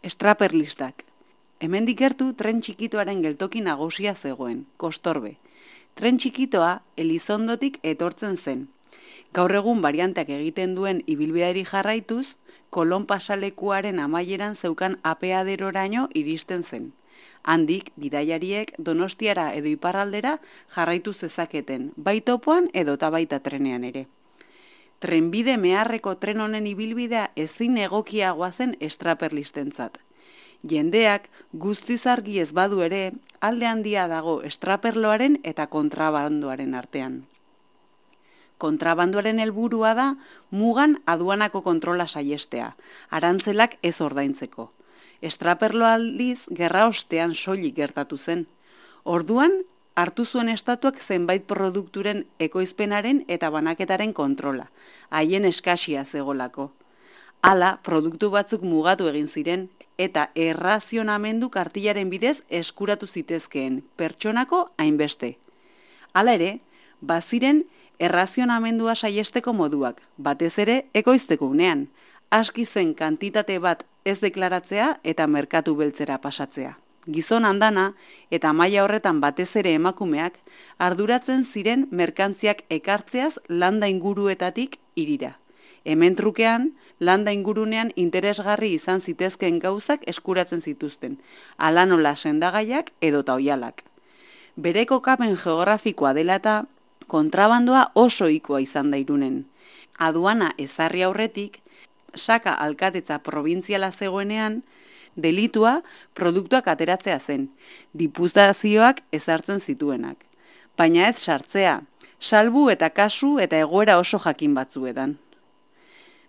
Estraperlistak. Hemendik gertu tren txikitoaren geltoki nagusia zegoen, Kostorbe. Tren txikitoa Elizondotik etortzen zen. Gaur egun varianteak egiten duen ibilbideari jarraituz, Kolon pasalekuaren amaieran zeukan apeaderoraino iristen zen. Handik, bidaiariek Donostiara edo iparraldera jarraitu zezaketen, bai topoan edota baita trenean ere. Trenbide meharreko tren honen ibilbidea ezin egokiagoa zen estraperlistentzat. Jendeak guztiz argi ez badu ere, alde handia dago estraperloaren eta kontrabandoaren artean. Kontrabandoaren helburua da mugan aduanako kontrola saihestea, arantzelak ez ordaintzeko. Estraperloa aldiz gerra ostean soilik gertatu zen. Orduan, hartu zuen estatuak zenbait produkturen ekoizpenaren eta banaketaren kontrola, haien eskasia zegolako. Hala, produktu batzuk mugatu egin ziren eta errazionamendu kartilaren bidez eskuratu zitezkeen pertsonako hainbeste. Hala ere, baziren errazionamendua saiesteko moduak, batez ere ekoizteko unean, aski zen kantitate bat ez deklaratzea eta merkatu beltzera pasatzea. Gizon andana eta maila horretan batez ere emakumeak arduratzen ziren merkantziak ekartzeaz landa inguruetatik hirira. Hemen trukean, landa ingurunean interesgarri izan zitezkeen gauzak eskuratzen zituzten, hala nola sendagaiak edota oihalak. Bere kokapen geografikoa dela eta kontrabandoa oso ohikoa izan da Irunen. Aduana ezarri aurretik, Saka alkatetza probintziala zegoenean, delitua produktuak ateratzea zen, diputazioak ezartzen zituenak. Baina ez sartzea, salbu eta kasu eta egoera oso jakin batzuetan.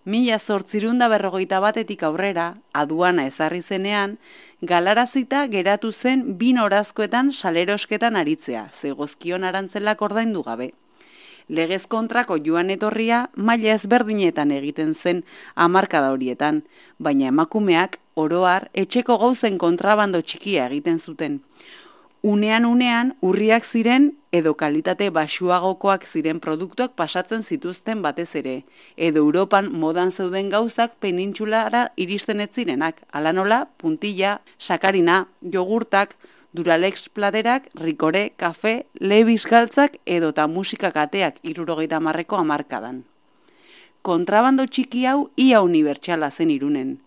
1851etik aurrera, aduana ezarri zenean, galarazita geratu zen 2 norazkoetan salerosketan aritzea, zegozkion arantzelak ordaindu gabe. Legez kontrako joan etorria maila ezberdinetan egiten zen hamarkada horietan, baina emakumeak oro har etxeko gauzen kontrabando txikia egiten zuten. Unean urriak ziren edo kalitate baxuagokoak ziren produktuak pasatzen zituzten batez ere, edo Europan modan zeuden gauzak penintsulara iristen ez zirenak, hala nola, puntilla, sakarina, jogurtak, Duralex platerak, Rikore, kafe, Levis galtzak edota musika kateak 70ko hamarkadan. Kontrabando txiki hau ia unibertsala zen Irunen,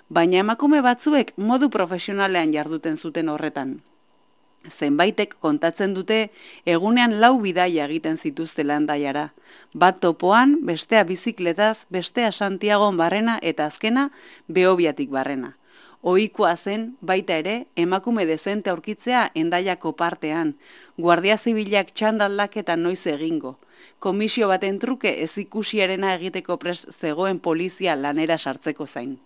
baina emakume batzuek modu profesionalean jarduten zuten horretan. Zenbaitek kontatzen dute egunean 4 bidaia egiten zituztela Hendaiara, bat topoan, bestea bizikletaz, bestea Santiagon barrena eta azkena Behobiatik barrena. Ohikoa zen, baita ere, emakume dezente aurkitzea Hendaiako partean, Guardia Zibilak txandaldaketa noiz egingo, komisio baten truke ez ikusiarena egiteko prest zegoen polizia lanera sartzeko zain.